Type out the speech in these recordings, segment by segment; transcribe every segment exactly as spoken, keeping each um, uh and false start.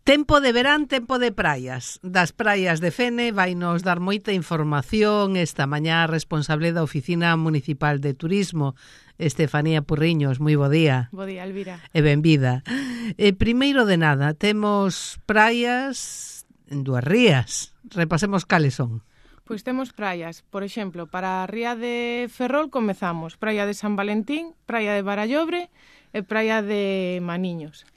Tempo de verán, tempo de praias. Das praias de Fene vai nos dar moita información esta mañá responsable da Oficina Municipal de Turismo, Estefanía Purriños. Moi bo día. Bo día, Elvira. E benvida. E primeiro de nada, temos praias en dúas rías. Repasemos cales son. Pois temos praias, por exemplo, para a ría de Ferrol comezamos praia de San Valentín, praia de Barallobre e praia de Maniños.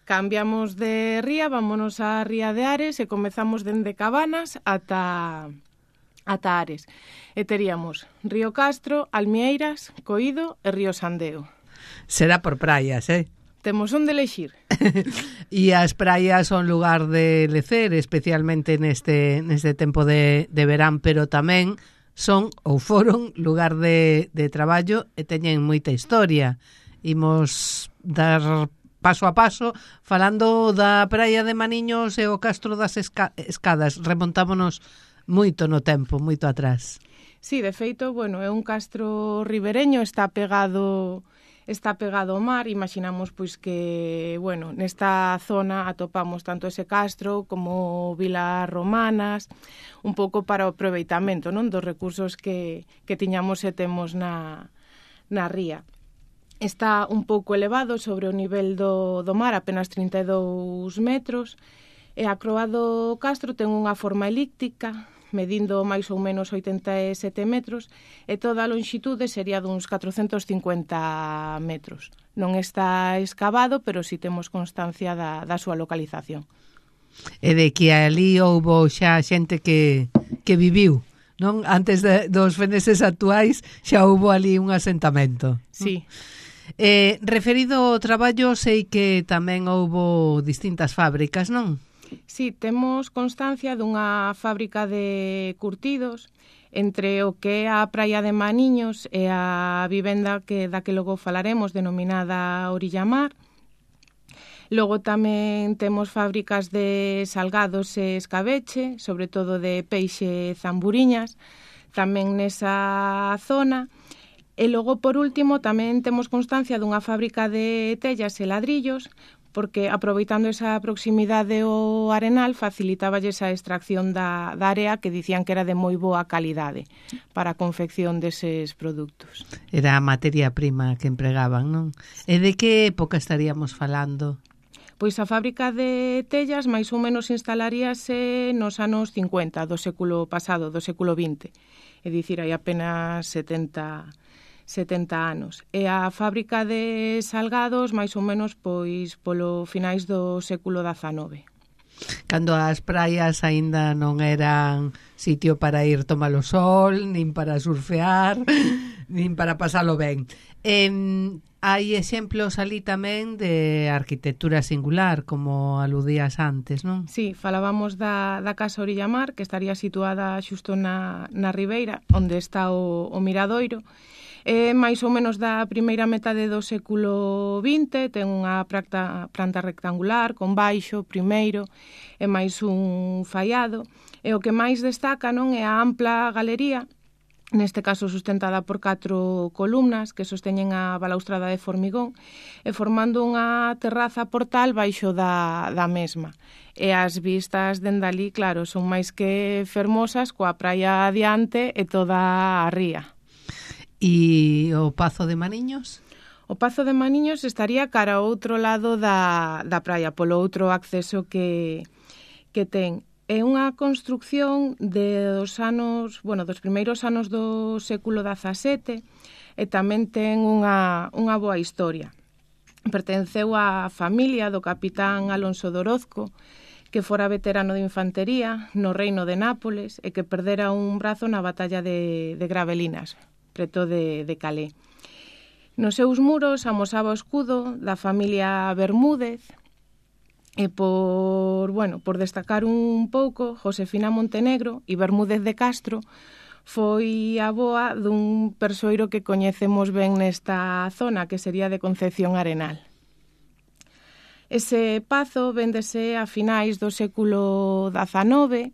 Cambiamos de ría, vámonos á ría de Ares e comezamos dende Cabanas ata, ata Ares. E teríamos Río Castro, Almieiras, Coído e Río Sandeo. Será por praias, eh? Temos onde elexir. E as praias son lugar de lecer, especialmente neste, neste tempo de, de verán, pero tamén son ou foron lugar de, de traballo e teñen moita historia. Imos dar paso a paso, falando da praia de Maniños e o Castro das Esca- Escadas. Remontámonos moito no tempo, moito atrás. Sí, de feito, bueno, é un castro ribereño, está pegado está pegado ao mar. Imaginamos pois que, bueno, nesta zona atopamos tanto ese castro como vilas romanas, un pouco para o aproveitamento, non, dos recursos que, que tiñamos e temos na, na ría. Está un pouco elevado sobre o nivel do, do mar, apenas trinta e dous metros, e a croa do castro ten unha forma elíptica, medindo máis ou menos oitenta e sete metros, e toda a lonxitude sería duns catrocentos cincuenta metros. Non está escavado, pero si temos constancia da, da súa localización. E de que ali houbo xa xente que, que viviu, non? Antes de, dos feneses actuais xa houbo ali un asentamento. Sí. Eh, referido ao traballo, sei que tamén houbo distintas fábricas, non? Sí, temos constancia dunha fábrica de curtidos entre o que é a praia de Maniños e a vivenda que da que logo falaremos, denominada Orilla Mar. Logo tamén temos fábricas de salgados e escabeche, sobre todo de peixe e zamburiñas, tamén nesa zona. E logo, por último, tamén temos constancia dunha fábrica de tellas e ladrillos, porque aproveitando esa proximidade ao arenal facilitáballe esa extracción da, da área que dicían que era de moi boa calidade para a confección deses produtos. Era a materia prima que empregaban, non? E de que época estaríamos falando? Pois a fábrica de tellas máis ou menos instalaríase nos anos cincuenta do século pasado, do século vinte. É dicir, hai apenas setenta anos. E a fábrica de salgados máis ou menos pois polo finais do século dezanove. Cando as praias aínda non eran sitio para ir tomar o sol, nin para surfear, nin para pasalo ben. Eh, hai exemplos ali tamén de arquitectura singular, como aludías antes, non? Sí, falábamos da, da Casa Orilla Mar, que estaría situada xusto na, na ribeira, onde está o, o miradoiro. É máis ou menos da primeira metade do século vinte, ten unha planta, planta rectangular, con baixo, primeiro, e máis un faiado. E o que máis destaca, non, é a ampla galería, neste caso sustentada por catro columnas que sosteñen a balaustrada de formigón, e formando unha terraza portal baixo da, da mesma. E as vistas dende ali, claro, son máis que fermosas, coa praia adiante e toda a ría. E o Pazo de Maniños? O Pazo de Maniños estaría cara ao outro lado da, da praia, polo outro acceso que, que ten. É unha construcción de dos anos, bueno, dos primeiros anos do século dezasete e tamén ten unha, unha boa historia. Pertenceu á familia do capitán Alonso de Orozco, que fora veterano de infantería no reino de Nápoles e que perdera un brazo na batalla de, de Gravelinas, preto de, de Calais. Nos seus muros amosaba o escudo da familia Bermúdez e por, bueno, por destacar un pouco, Josefina Montenegro e Bermúdez de Castro foi a avoa dun persoeiro que coñecemos ben nesta zona, que sería de Concepción Arenal. Ese pazo véndese a finais do século dezanove.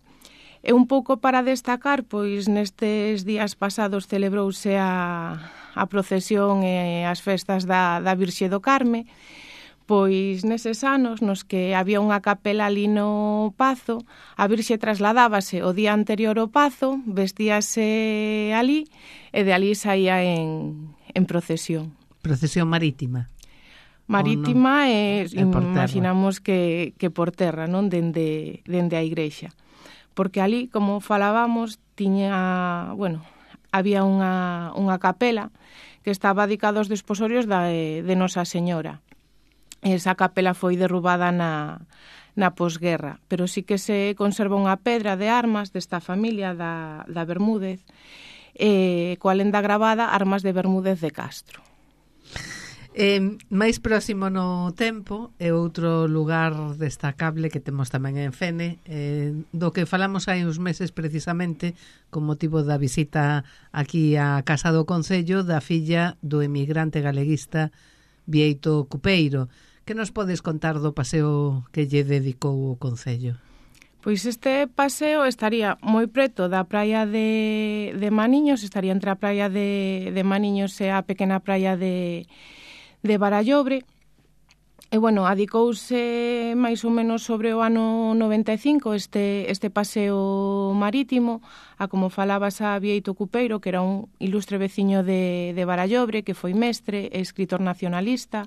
E un pouco para destacar, pois nestes días pasados celebrouse a, a procesión e as festas da, da Virxe do Carme, Pois neses anos nos que había unha capela ali no Pazo, a Virxe trasladábase o día anterior ao Pazo, vestíase ali e de ali saía en, en procesión. Procesión marítima? Marítima no? e é imaginamos que, que por terra, non? Dende, dende a igrexa. Porque ali, como falábamos, tiña, bueno, había unha, unha capela que estaba dedicada aos desposorios da, de Nosa Señora. Esa capela foi derrubada na, na posguerra, pero sí que se conserva unha pedra de armas desta familia da, da Bermúdez, eh, coa lenda gravada Armas de Bermúdez de Castro. Eh, máis próximo no tempo é outro lugar destacable que temos tamén en Fene, eh, do que falamos hai uns meses precisamente con motivo da visita aquí á Casa do Concello da filla do emigrante galeguista Bieito Cupeiro. Que nos podes contar do paseo que lle dedicou o Concello? Pois este paseo estaría moi preto da praia de, de Maniños, estaría entre a praia de, de Maniños e a pequena praia de, de Barallobre. E, bueno, adicouse máis ou menos sobre o ano noventa e cinco este, este paseo marítimo, a como falabas a Bieito Cupeiro, que era un ilustre veciño de, de Barallobre, que foi mestre e escritor nacionalista.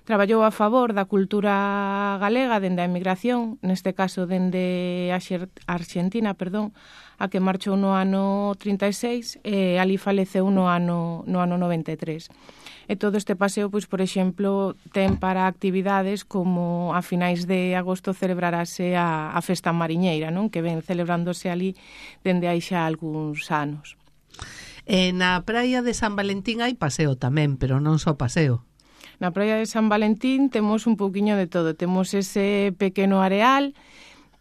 Traballou a favor da cultura galega dende a emigración, neste caso dende a Argentina, perdón, a que marchou no ano trinta e seis e ali faleceu no ano, no ano noventa e tres. E todo este paseo, pois, por exemplo, ten para actividades como a finais de agosto celebrarase a, a festa mariñeira, non? Que ven celebrándose ali dende hai xa algúns anos. E na praia de San Valentín hai paseo tamén, pero non só paseo. Na praia de San Valentín temos un pouquiño de todo. Temos ese pequeno areal,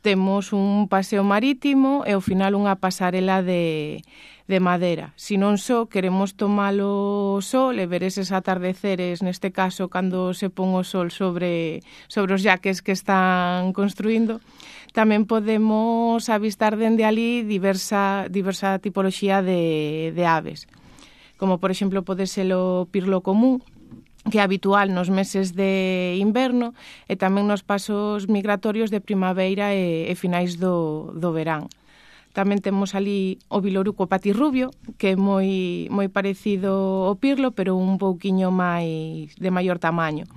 temos un paseo marítimo e ao final unha pasarela de, de madeira. Si non só queremos tomalo sol e ver eses atardeceres, neste caso, cando se pon o sol sobre, sobre os yaques que están construindo, tamén podemos avistar dende ali diversa, diversa tipoloxía de, de aves. Como, por exemplo, pode ser o pirlo común, que é habitual nos meses de inverno e tamén nos pasos migratorios de primavera e, e finais do, do verán. Tamén temos ali o viloruco patirrubio, que é moi, moi parecido ao pirlo, pero un pouquiño máis de maior tamaño.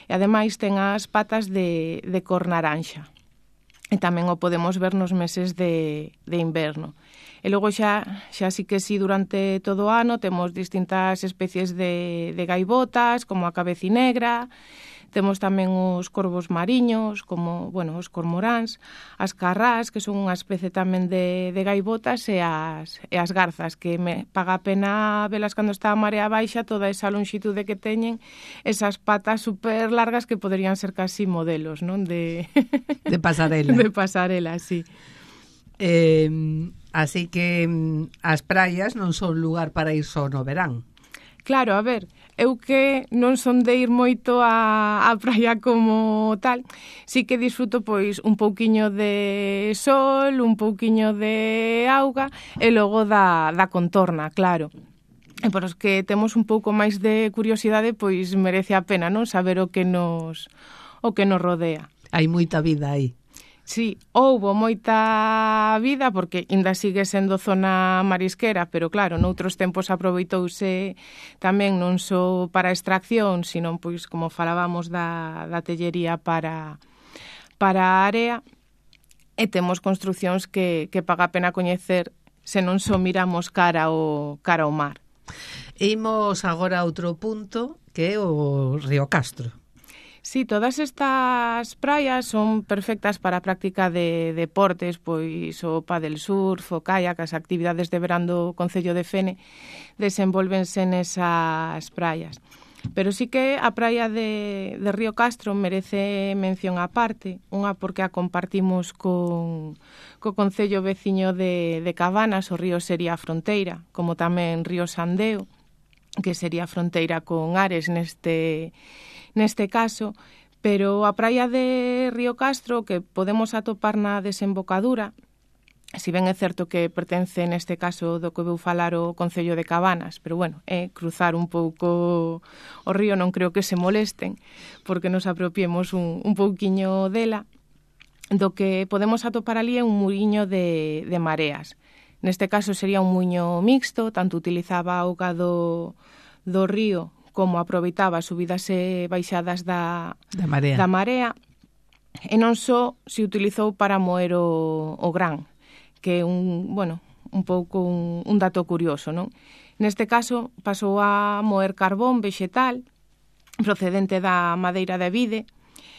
E ademais ten as patas de, de cor naranxa. E tamén o podemos ver nos meses de, de inverno. E logo xa, xa sí que sí, durante todo o ano temos distintas especies de, de gaivotas, como a cabecinegra, temos tamén os corvos mariños, como, bueno, os cormoráns, as carrás, que son unha especie tamén de, de gaivotas, e as, e as garzas, que me paga a pena velas cando está a marea baixa, toda esa longitude que teñen, esas patas super largas que poderían ser casi modelos, non? De, de pasarela. De pasarela, sí. Eh, así que as praias non son lugar para ir só no verán. Claro, a ver, eu que non son de ir moito a, a praia como tal, sí que disfruto pois un pouquiño de sol, un pouquiño de auga e logo da, da contorna, claro. E por os que temos un pouco máis de curiosidade, pois merece a pena, non, saber o que nos o que nos rodea. Hai moita vida aí. Sí, houbo moita vida porque ainda sigue sendo zona marisquera, pero claro, noutros tempos aproveitouse tamén non só para extracción, sino pois como falábamos da, da tellería para, para a area, e temos construcións que, que paga a pena coñecer se non só miramos cara ao, cara ao mar. Imos agora a outro punto, que é o Río Castro. Sí, todas estas praias son perfectas para a práctica de deportes, pois o pádel surf, o kayak, as actividades de verán do Concello de Fene desenvolvense nesas praias. Pero sí que a praia de, de Río Castro merece mención aparte, unha porque a compartimos con co Concello veciño de, de Cabanas, o río sería a fronteira, como tamén Río Sandeo, que sería a fronteira con Ares neste neste caso, pero a praia de Río Castro, que podemos atopar na desembocadura, Si ben é certo que pertence neste caso do que vou falar o Concello de Cabanas, pero bueno, é cruzar un pouco o río, non creo que se molesten porque nos apropiemos un, un pouquiño dela. Do que podemos atopar ali é un muiño de, de mareas. Neste caso sería un muiño mixto, tanto utilizaba a auga do, do río como aproveitaba as subidas e baixadas da, da, marea. da marea, e non só se utilizou para moer o, o gran, que é un, bueno, un pouco un, un dato curioso, non? Neste caso pasou a moer carbón vegetal procedente da madeira de vide,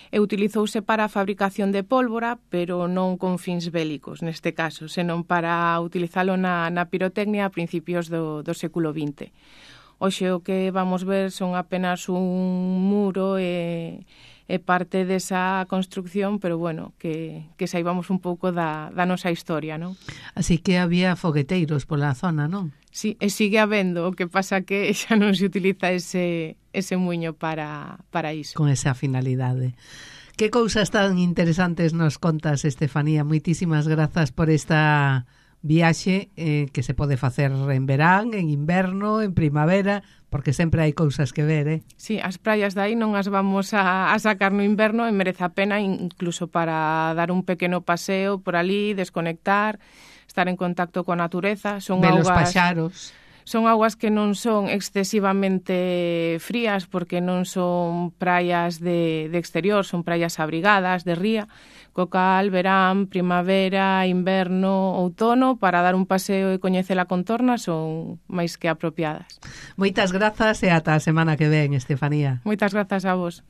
e utilizouse para a fabricación de pólvora, pero non con fins bélicos, neste caso, senón para utilizalo na, na pirotecnia a principios do, do século vinte. Hoxe o que vamos ver son apenas un muro e, e parte desa construcción, pero bueno, que, que saibamos un pouco da, da nosa historia, non? Así que había fogueteiros pola zona, non? Sí, e sigue habendo, o que pasa que xa non se utiliza ese, ese muiño para, para iso. Con esa finalidade. Que cousas tan interesantes nos contas, Estefanía. Moitísimas grazas por esta viaxe eh, que se pode facer en verán, en inverno, en primavera, porque sempre hai cousas que ver, eh? Sí, as praias de aí non as vamos a, a sacar no inverno e merece a pena incluso para dar un pequeno paseo por ali, desconectar, estar en contacto coa natureza. Son ver augas, os paxaros. Son augas que non son excesivamente frías porque non son praias de, de exterior, son praias abrigadas, de ría, co cal verán, primavera, inverno, outono, para dar un paseo e coñecer a contorna son máis que apropiadas. Moitas grazas e ata a semana que ven, Estefanía. Moitas grazas a vos.